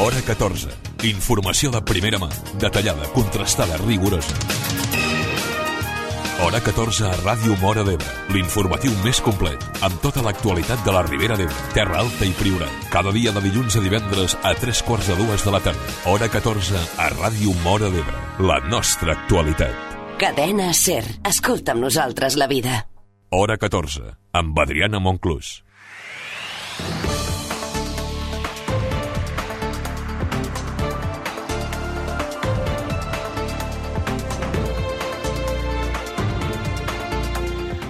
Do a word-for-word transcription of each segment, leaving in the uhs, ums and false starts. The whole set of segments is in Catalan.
Hora catorze. Informació de primera mà, detallada, contrastada, rigorosa. Hora catorze a Ràdio Móra d'Ebre, l'informatiu més complet, amb tota l'actualitat de la Ribera d'Ebre, Terra Alta i Priorat. Cada dia de dilluns a divendres a tres quarts de dues de la tarda. Hora catorze a Ràdio Móra d'Ebre, la nostra actualitat. Cadena SER. Escolta amb nosaltres la vida. Hora catorze, amb Adriana Monclús.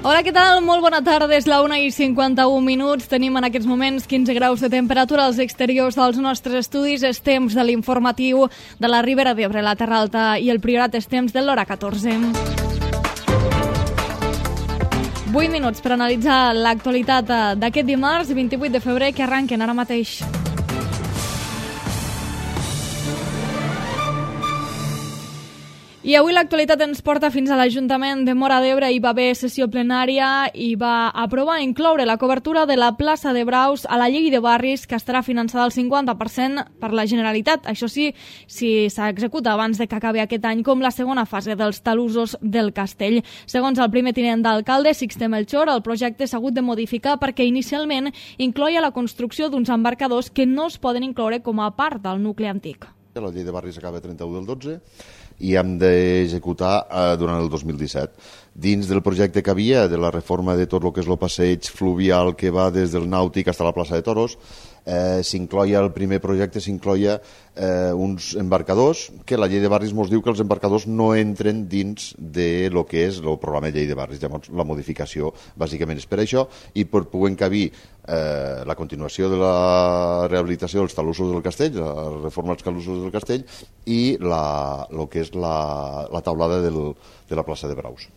Hola, què tal? Molt bona tarda, és la una i cinquanta-un minuts. Tenim en aquests moments quinze graus de temperatura als exteriors dels nostres estudis. És temps de l'informatiu de la Ribera d'Ebre, la Terra Alta i el Priorat. És temps de l'hora catorze. vuit minuts per analitzar l'actualitat d'aquest dimarts, vint-i-vuit de febrer, que arrenquen ara mateix. I avui l'actualitat ens porta fins a l'Ajuntament de Móra d'Ebre. Hi va haver sessió plenària i va aprovar incloure la cobertura de la plaça de Braus a la llei de barris, que estarà finançada al cinquanta per cent per la Generalitat. Això sí, si s'executa abans de que acabi aquest any, com la segona fase dels talussos del castell. Segons el primer tinent d'alcalde, Sixte Melchor, el projecte s'ha hagut de modificar perquè inicialment incloïa la construcció d'uns embarcadors que no es poden incloure com a part del nucli antic. La llei de barris acaba trenta-u del dotze i hem d'executar eh, durant el dos mil disset. Dins del projecte que havia de la reforma de tot el que és el passeig fluvial que va des del Nàutic fins a la plaça de Toros, eh, s'incloia el primer projecte, s'incloia eh, uns embarcadors, que la llei de barris ens diu que els embarcadors no entren dins de lo que és el programa de llei de barris. Llavors, la modificació bàsicament és per això, i per poder encabir eh, la continuació de la rehabilitació dels talussos del castell, la reforma dels talussos del castell, i la, lo que és la, la taulada del, de la plaça de Braus.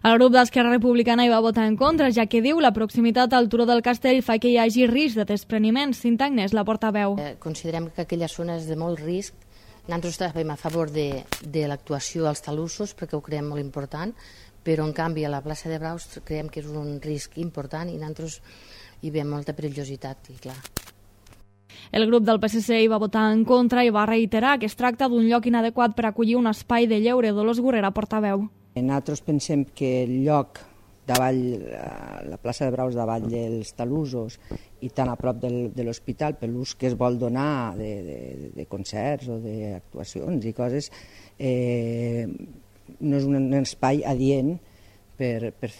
El grup d'Esquerra Republicana hi va votar en contra, ja que diu la proximitat al turó del castell fa que hi hagi risc de despreniments. Cinta Agnès, la portaveu. Eh, considerem que aquella zona és de molt risc. Nosaltres estàvem a favor de, de l'actuació als talussos perquè ho creiem molt important, però en canvi a la plaça de Braus creiem que és un risc important i nosaltres hi veiem molta perillositat, i clar. El grup del P S C hi va votar en contra i va reiterar que es tracta d'un lloc inadequat per acollir un espai de lleure. Dolors Gorrera, portaveu. Nosaltres pensem que el lloc davall, la plaça de Braus davall dels talussos i tan a prop del, de l'hospital, per l'ús que es vol donar de, de, de concerts o d'actuacions i coses, eh, no és un espai adient per, per,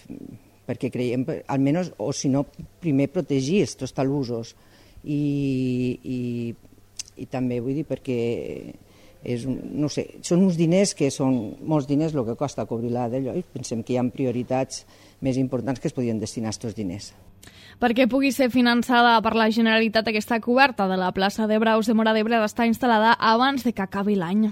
perquè creiem, almenys, o si no, primer protegir aquests talussos. I, i, i també vull dir perquè és, no sé, són uns diners que són molts diners el que costa cobrir la d'allò, i pensem que hi ha prioritats més importants que es podien destinar a aquests diners. Perquè pugui ser finançada per la Generalitat, aquesta coberta de la plaça de Braus de Móra d'Ebre ha d'estar instal·lada abans de que acabi l'any.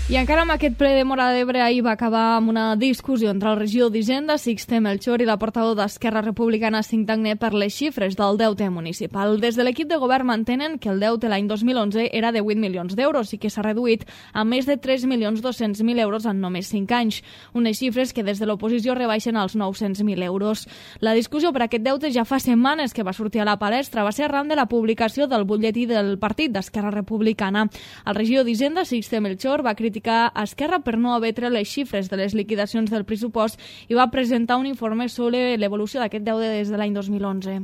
I encara amb aquest ple de Móra d'Ebre ahir va acabar amb una discussió entre el regidor d'Hisenda, Sixte Melchor, i la portaveu d'Esquerra Republicana, Cinta Agnès, per les xifres del deute municipal. Des de l'equip de govern mantenen que el deute l'any dos mil onze era de vuit milions d'euros i que s'ha reduït a més de tres milions dos-cents mil euros en només cinc anys. Unes xifres que des de l'oposició rebaixen als nou-cents mil euros. La discussió per aquest deute ja fa setmanes que va sortir a la palestra. Va ser arran de la publicació del butlletí del partit d'Esquerra Republicana. El regidor d'Hisenda, Sixte Melchor, va criticar a Esquerra per no haver tret les xifres de les liquidacions del pressupost i va presentar un informe sobre l'evolució d'aquest deute des de l'any dos mil onze.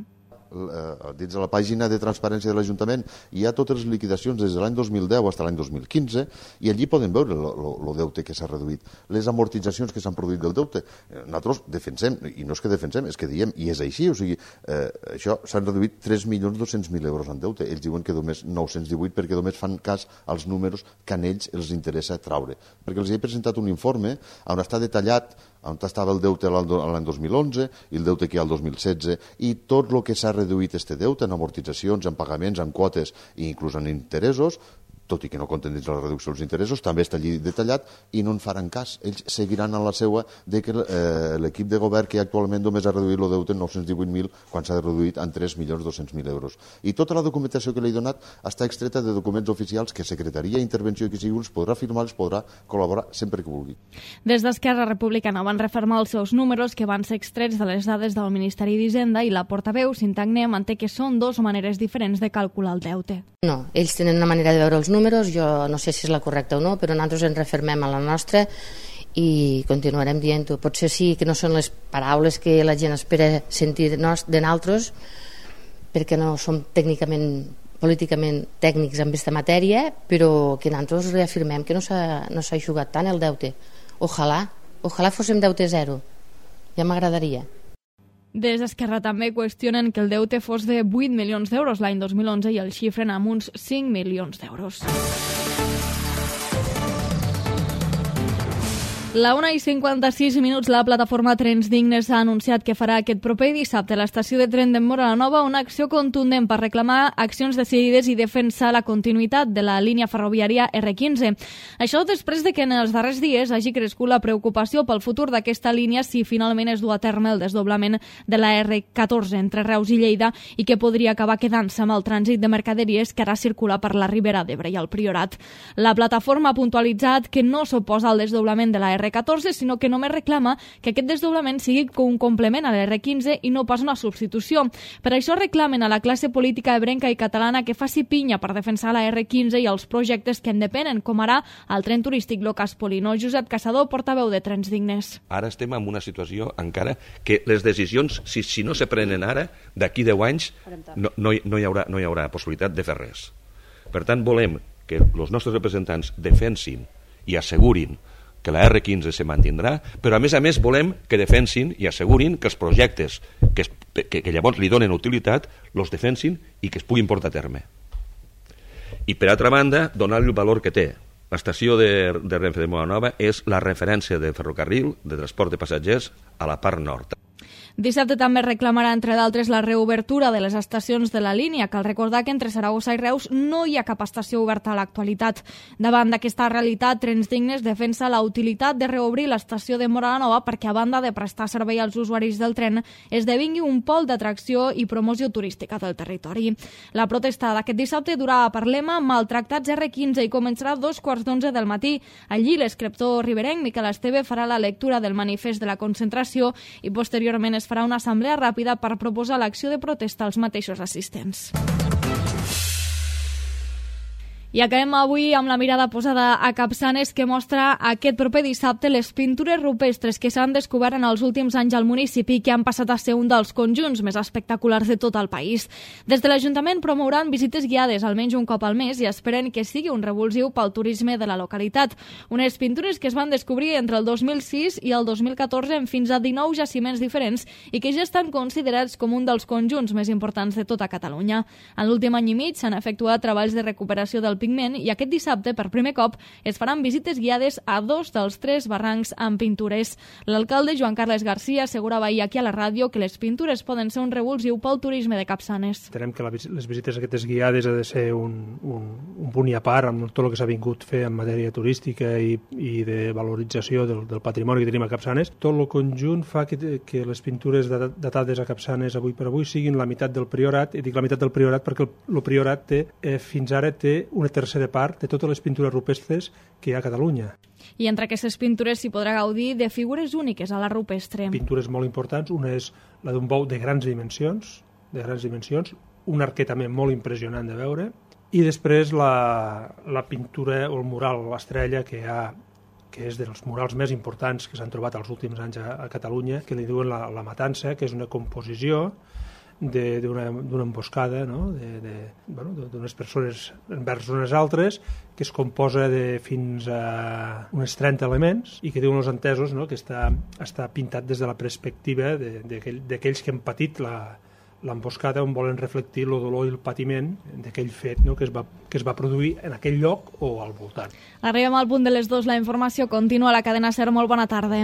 Dins de la pàgina de transparència de l'Ajuntament hi ha totes les liquidacions des de l'any dos mil deu fins a l'any dos mil quinze i allí poden veure el deute que s'ha reduït, les amortitzacions que s'han produït del deute. Nosaltres defensem, i no és que defensem, és que diem, i és així, o sigui, eh, això s'han reduït tres milions dos-cents mil euros en deute. Ells diuen que només nou-cents divuit perquè només fan cas als números que a ells els interessa traure. Perquè els he presentat un informe on està detallat on estava el deute l'any dos mil onze i el deute que hi ha el dos mil setze i tot el que s'ha reduït este deute en amortitzacions, en pagaments, en quotes i inclús en interessos, tot i que no compten dins la reducció dels interessos, també està allí detallat i no en faran cas. Ells seguiran en la seva de que eh, l'equip de govern que actualment només ha reduït el deute en nou-cents divuit mil quan s'ha reduït en tres milions dos-cents mil euros. I tota la documentació que li he donat està extreta de documents oficials que Secretaria d'Intervenció i qui sigui els podrà firmar, els podrà col·laborar sempre que vulgui. Des d'Esquerra Republicana van refermar els seus números que van ser extrets de les dades del Ministeri d'Hisenda i la portaveu Sintagné manté que són dues maneres diferents de calcular el deute. No, ells tenen una manera de veure els números, jo no sé si és la correcta o no, però nosaltres ens refermem a la nostra i continuarem dient-ho. Potser sí que no són les paraules que la gent espera sentir de nosaltres, perquè no som tècnicament, políticament tècnics en aquesta matèria, però que nosaltres reafirmem que no s'ha no s'ha jugat tant el deute. Ojalà, ojalà fóssim deute zero. Ja m'agradaria. Des d'Esquerra també qüestionen que el deute fos de vuit milions d'euros l'any dos mil onze i el xifren amb uns cinc milions d'euros. La una i cinquanta-sis minuts, la plataforma Trens Dignes ha anunciat que farà aquest proper dissabte a l'estació de tren de Móra la Nova una acció contundent per reclamar accions decidides i defensar la continuïtat de la línia ferroviària erre quinze. Això després de que en els darrers dies hagi crescut la preocupació pel futur d'aquesta línia si finalment es du a terme el desdoblament de la erre catorze entre Reus i Lleida i que podria acabar quedant-se amb el trànsit de mercaderies que ara circula per la Ribera d'Ebre i el Priorat. La plataforma ha puntualitzat que no s'oposa al desdoblament de la erre catorze, sinó que només reclama que aquest desdoblament sigui un complement a l'erre quinze i no pas una substitució. Per això reclamen a la classe política ebrenca i catalana que faci pinya per defensar la erre quinze i els projectes que en depenen, com ara el tren turístic Locas Polino. Josep Caçador, portaveu de Trens Dignes. Ara estem en una situació encara que les decisions, si, si no se prenen ara, d'aquí deu anys no, no, hi, no, hi haurà, no hi haurà possibilitat de fer res. Per tant, volem que els nostres representants defensin i assegurin que la erre quinze se mantindrà, però a més a més volem que defensin i assegurin que els projectes que, es, que, que llavors li donen utilitat los defensin i que es puguin portar a terme. I per altra banda, donar-li el valor que té. L'estació de, de Renfe de Móra la Nova és la referència de ferrocarril, de transport de passatgers, a la part nord. Dissabte també reclamarà, entre d'altres, la reobertura de les estacions de la línia. Cal recordar que entre Saragossa i Reus no hi ha cap estació oberta a l'actualitat. Davant d'aquesta realitat, Trens Dignes defensa la utilitat de reobrir l'estació de Móra la Nova perquè, a banda de prestar servei als usuaris del tren, esdevingui un pol d'atracció i promoció turística del territori. La protesta d'aquest dissabte durà a Parlema, Maltractats erre quinze, i començarà a dos quarts d'onze del matí. Allí, l'escriptor riberenc Miquel Esteve farà la lectura del manifest de la concentració i, posteriorment, es farà una assemblea ràpida per proposar l'acció de protesta als mateixos assistents. I acabem avui amb la mirada posada a Capçanes, que mostra aquest proper dissabte les pintures rupestres que s'han descobert en els últims anys al municipi i que han passat a ser un dels conjunts més espectaculars de tot el país. Des de l'Ajuntament promouran visites guiades almenys un cop al mes i esperen que sigui un revulsiu pel turisme de la localitat. Unes pintures que es van descobrir entre el dos mil sis i el dos mil catorze en fins a dinou jaciments diferents i que ja estan considerats com un dels conjunts més importants de tota Catalunya. En l'últim any i mig s'han efectuat treballs de recuperació del pigment i aquest dissabte, per primer cop, es faran visites guiades a dos dels tres barrancs amb pintures. L'alcalde Joan Carles Garcia assegurava ahir aquí a la ràdio que les pintures poden ser un revulsiu pel turisme de Capçanes. Entenem que la, les visites aquestes guiades ha de ser un, un, un punt i a part amb tot el que s'ha vingut fer en matèria turística i, i de valorització del, del patrimoni que tenim a Capçanes. Tot el conjunt fa que, que les pintures datades a Capçanes avui per avui siguin la meitat del priorat, i dic la meitat del priorat perquè el, el priorat té, eh, fins ara té una tercera part de totes les pintures rupestres que hi ha a Catalunya. I entre aquestes pintures s'hi podrà gaudir de figures úniques a la rupestre. Pintures molt importants, una és la d'un bou de grans dimensions, de grans dimensions, un arquer també molt impressionant de veure, i després la, la pintura o el mural, l'estrella, que hi ha, que és dels murals més importants que s'han trobat els últims anys a, a Catalunya, que li diuen la, la Matança, que és una composició d'una emboscada, no? de, de, bueno, d'unes persones envers unes altres, que es composa de fins a uns trenta elements i que diuen els entesos, no? que està, està pintat des de la perspectiva d'aquells aquell, que han patit la, l'emboscada, on volen reflectir el dolor i el patiment d'aquell fet, no? que, es va, que es va produir en aquell lloc o al voltant. Arribem al punt de les dues, la informació continua a la cadena SER. Molt bona tarda.